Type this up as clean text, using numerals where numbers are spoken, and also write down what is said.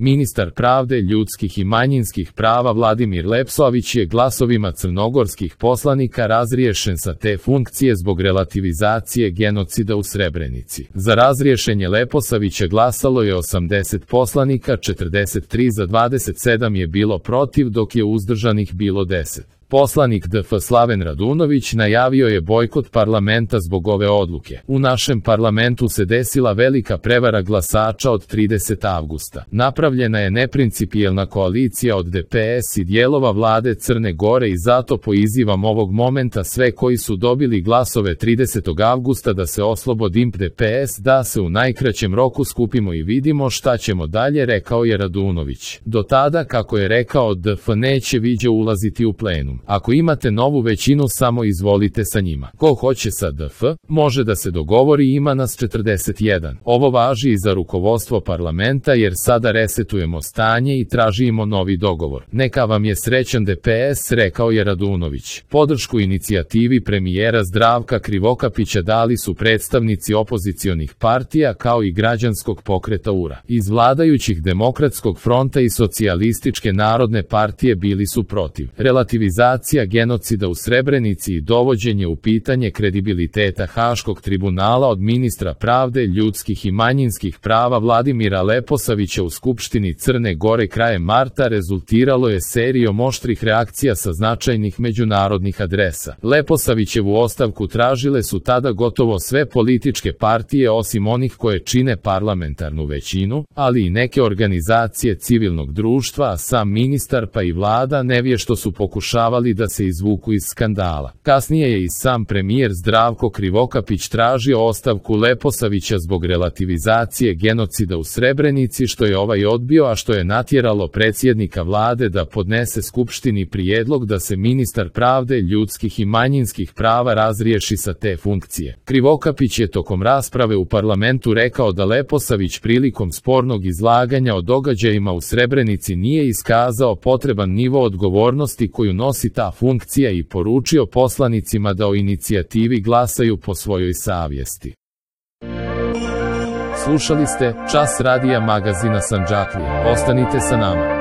Ministar pravde, ljudskih i manjinskih prava Vladimir Leposavić je glasovima crnogorskih poslanika razriješen sa te funkcije zbog relativizacije genocida u Srebrenici. Za razriješenje Leposavića glasalo je 80 poslanika, 43 za 27 je bilo protiv, dok je uzdržanih bilo 10. Poslanik DF Slaven Radunović najavio je bojkot parlamenta zbog ove odluke. U našem parlamentu se desila velika prevara glasača od 30. avgusta. Napravljena je neprincipijelna koalicija od DPS i dijelova vlade Crne Gore i zato pozivam ovog momenta sve koji su dobili glasove 30. avgusta da se oslobodi DPS, da se u najkraćem roku skupimo i vidimo šta ćemo dalje, rekao je Radunović. Do tada, kako je rekao, DF neće viđe ulaziti u plenum. Ako imate novu većinu, samo izvolite sa njima. Ko hoće sa DF, može da se dogovori, ima nas 41. Ovo važi i za rukovodstvo parlamenta jer sada resetujemo stanje i tražimo novi dogovor. Neka vam je srećan DPS, rekao je Radunović. Podršku inicijativi premijera Zdravka Krivokapića dali su predstavnici opozicionih partija kao i građanskog pokreta URA. Iz vladajućih Demokratskog fronta i Socijalističke narodne partije bili su protiv. Relativizacija genocida u Srebrenici i dovođenje u pitanje kredibiliteta Haškog tribunala od ministra pravde, ljudskih i manjinskih prava Vladimira Leposavića u Skupštini Crne Gore krajem marta rezultiralo je serijom oštrih reakcija sa značajnih međunarodnih adresa. Leposavićevu ostavku tražile su tada gotovo sve političke partije osim onih koje čine parlamentarnu većinu, ali i neke organizacije civilnog društva, a sam ministar pa i vlada nevješto su pokušavali da se izvuku iz skandala. Kasnije je i sam premijer Zdravko Krivokapić tražio ostavku Leposavića zbog relativizacije genocida u Srebrenici, što je ovaj odbio, a što je natjeralo predsjednika vlade da podnese Skupštini prijedlog da se ministar pravde, ljudskih i manjinskih prava razriješi sa te funkcije. Krivokapić je tokom rasprave u parlamentu rekao da Leposavić prilikom spornog izlaganja o događajima u Srebrenici nije iskazao potreban nivo odgovornosti koju nosi ta funkcija i poručio poslanicima da o inicijativi glasaju po svojoj savjesti. Slušali ste Čas radija magazina Sandžaklija. Ostanite sa nama.